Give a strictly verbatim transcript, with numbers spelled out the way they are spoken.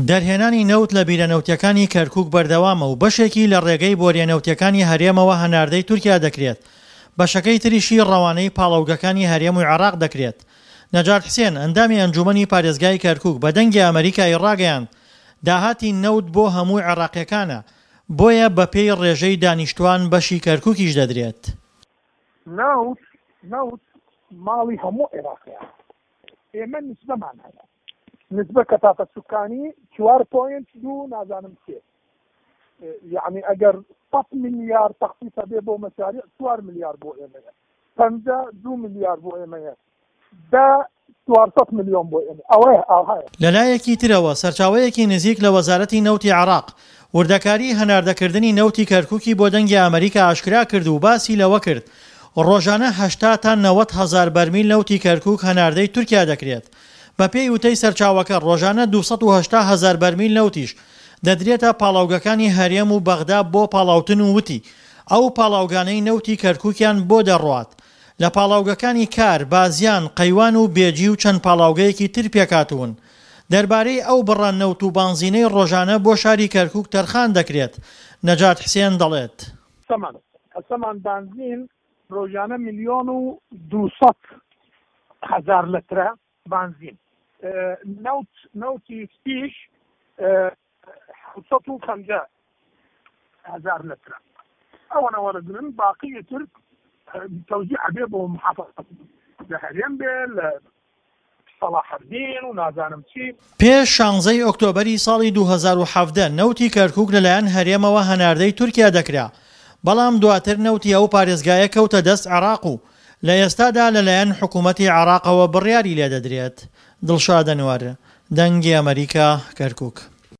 دەرهێنانی نەوت لە بیرە نەوتیەکانی کەرکوک بەردەوامە و بەشێکی لە ڕێگەی بۆریە نەوتیەکانی هەرێمەوە هەناردەی تورکیا دەکرێت، بەشەکەی تریشی ڕەوانەی پاڵاوگەکانی هەرێم و عێراق دەکرێت. نەجات حسێن، ئەندامی ئەنجومەنی پارێزگای کەرکوک بە دەنگی ئەمەریکای ڕاگەیاند، داهاتی نەوت بۆ هەموو عێراقیەکانە، بۆیە بەپێی ڕێژەی دانیشتوان بەشی کەرکوکیش دەدرێت. نەوت نەوت ماڵی هەموو عێراقیە، ئێمە نسبەمان هەیە، نسبە کەتافە سوکانی چوار پۆینت دوو نازانم سێ، یعنی ئەگەر سەد ملیار تەخصیص هەبێ بۆ مەشاریع چوار ملیار بۆ ئێمەیە، پەنجا دوو ملیار بۆ ئێمەیە، دە چوار سەد ملیۆن بۆ ئێمە، ئەوەیە ئاوهایە. لەلایەکی ترەوە سەرچاوەیەکی نزیک لە وەزارەتی نەوتی عێراق وردەکاری هەناردەکردنی نەوتی کەرکوکی بۆ دەنگی ئەمەریکا ئاشکرا کرد و باسی لەوە کرد ڕۆژانە هەشتا تا نەوەد هەزار بەرمیل نەوتی کەرکوک هەناردەی تورکیا دەکرێت. بەپێی وتەی سەرچاوەکە ڕۆژانە دوو سەد و هەشتا هەزار بەرمیل نەوتیش دەدرێتە پاڵاوگەکانی هەرێم و بەغدا بۆ پاڵاوتن و وتی ئەو پاڵاوگانەی نەوتی کەرکوکیان بۆ دەڕوات لە پاڵاوگەکانی کار، بازیان، قەیوان و بێجی و چەند پاڵاوگەیەکی تر پێکهاتوون. دەربارەی ئەو بڕە نەوت و بانزینەی ڕۆژانە بۆ شاری کەرکوک تەرخان دەکرێت، نەجات حسێن دەڵێت. سەمان سەمان بانزین ڕۆژانە ملیۆن و دوو سەد هەزار لترە بانزین، نەوت نەوتی سپیش حەوت سەد و پەنجا هەزار لترە. ئەوەنە وەرەگرن، باقی تر تەوزیع ئەبێ بۆ محافظات لە هەرێم بێ، لە سەڵاحەدین و نازانم چی. پێش شانزەی ئۆکتۆبەری ساڵی دوو هەزار و حەڤدە نەوتی کەرکوک لەلایەن هەرێمەوە هەناردەی تورکیا دەکرا، بەڵام دواتر نەوتی ئەو پارێزگایە کەوتە دەست عێراق و لە ئێستادا لەلایەن حکومەتی عێراقەوە بڕیاری لێدەدرێت. دڵشاد ئەنوەر، دەنگی ئەمەریکا، کەرکوک.